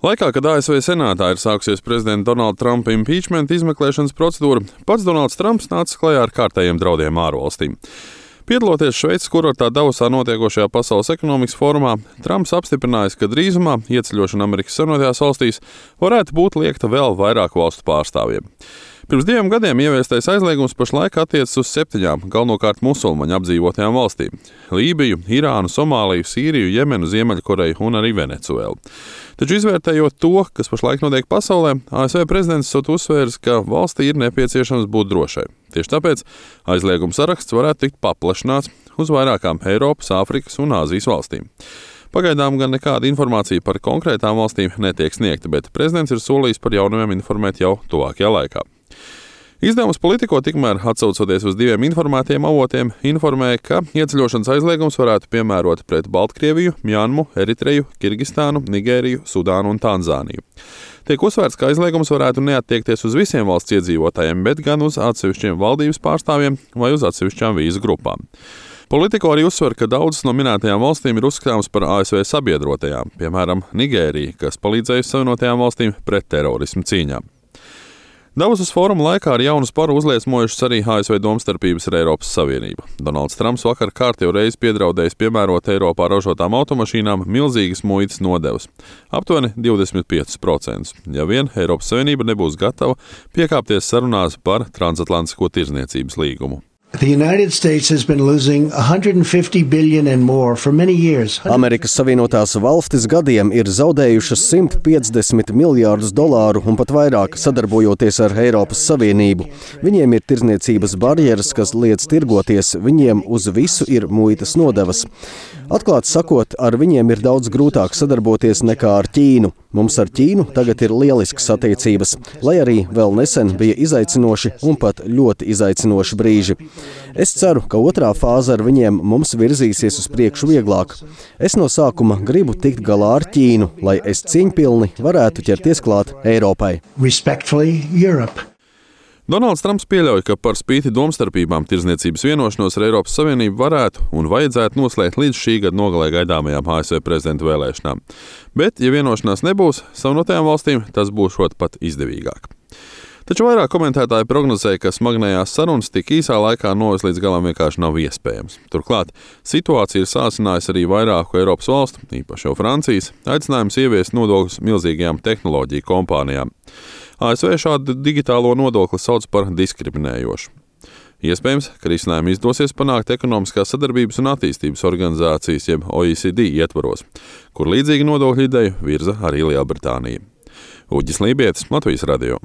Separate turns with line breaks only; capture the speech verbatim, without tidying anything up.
Laikā, kad A S V senātā ir sākusies prezidenta Donalda Trumpa impeachment izmeklēšanas procedūra, pats Donalds Trumps nāca klajā ar kārtējiem draudiem ārvalstīm. Piedaloties Šveices kurortā Davosā notiekošajā Pasaules ekonomikas fórumā, Trumps apstiprinājis, ka drīzumā ieceļošana Amerikas Savienotajās valstīs varētu būt liekta vēl vairāku valstu pārstāvjiem. Pirms diviem gadiem ieviestais aizliegums pašlaik attiecas uz septiņām galvenokārt musulmaņu apdzīvotajām valstīm - Lībiju, Irānu, Somāliju, Sīriju, Jemenu, Ziemeļkoreju un arī Venecuēlu. Taču izvērtējot to, kas pašlaik notiek pasaulē, A S V prezidents esot uzsvēris, ka valstī ir nepieciešams būt drošai. Tieši tāpēc aizlieguma saraksts varētu tikt paplašināts uz vairākām Eiropas, Āfrikas un Āzijas valstīm. Pagaidām gan nekāda informācija par konkrētām valstīm netiek sniegta, bet prezidents ir solījis par jaunumiem informēt jau tuvākajā laikā. Izdevums Politico tikmēr, atsaucoties uz diviem informētiem avotiem, informēja, ka ieceļošanas aizliegums varētu piemērot pret Baltkrieviju, Mjanmu, Eritreju, Kirgistānu, Nigēriju, Sudānu un Tanzāniju. Tiek uzsvērts, ka aizliegums varētu neattiekties uz visiem valsts iedzīvotājiem, bet gan uz atsevišķiem valdības pārstāvjiem vai uz atsevišķām vīzu grupām. Politico arī uzsver, ka daudzas no minētajām valstīm ir uzskatāmas par A S V sabiedrotajām, piemēram, Nigērija, kas palīdzējusi Savienotajām valstīm pret terorismu cīņā. Davosas fóruma laikā ar jaunu sparu uzliesmojušas arī A S V domstarpības ar Eiropas Savienību. Donalds Trumps vakar kārtējo reizi piedraudējis piemērot Eiropā ražotām automašīnām milzīgas muitas nodevas - aptuveni divdesmit pieci procenti, ja vien Eiropas Savienība nebūs gatava piekāpties sarunās par transatlantisko tirdzniecības līgumu.
Amerikas Savienotās valstis gadiem ir zaudējušas simt piecdesmit miljārdus dolāru un pat vairāk sadarbojoties ar Eiropas Savienību. Viņiem ir tirdzniecības barjeras, kas liedz tirgoties, viņiem uz visu ir muitas nodevas. Atklāti sakot, ar viņiem ir daudz grūtāk sadarboties nekā ar Ķīnu. Mums ar Ķīnu tagad ir lieliskas attiecības, lai arī vēl nesen bija izaicinoši un pat ļoti izaicinoši brīži. Es ceru, ka otrā fāze ar viņiem mums virzīsies uz priekšu vieglāk. Es no sākuma gribu tikt galā ar Ķīnu, lai es cieņpilni varētu ķerties klāt Eiropai.
Donalds Trumps pieļauj, ka par spīti domstarpībām tirdzniecības vienošanos ar Eiropas Savienību varētu un vajadzētu noslēgt līdz šī gada nogalē gaidāmajām A S V prezidenta vēlēšanām. Bet, ja vienošanās nebūs, Savienotajām valstīm tas būšot pat izdevīgāk. Taču vairāk komentētāji prognozēja, ka smagnējās sarunas tik īsā laikā novest līdz galam vienkārši nav iespējams. Turklāt situācija ir sācinājusi arī vairāku Eiropas valstu, īpaši jau Francijas, aicinājums ieviest nodokļus milzīgajām tehnoloģiju kompānijām. A S V šādu digitālo nodokli sauc par diskriminējošu. Iespējams, ka risinājumu izdosies panākt ekonomiskās sadarbības un attīstības organizācijas, jeb O E C D ietvaros, kur līdzīgi nodokļu ideju virza arī Lielbritānija. Uģis Lībietis, Latvijas radio.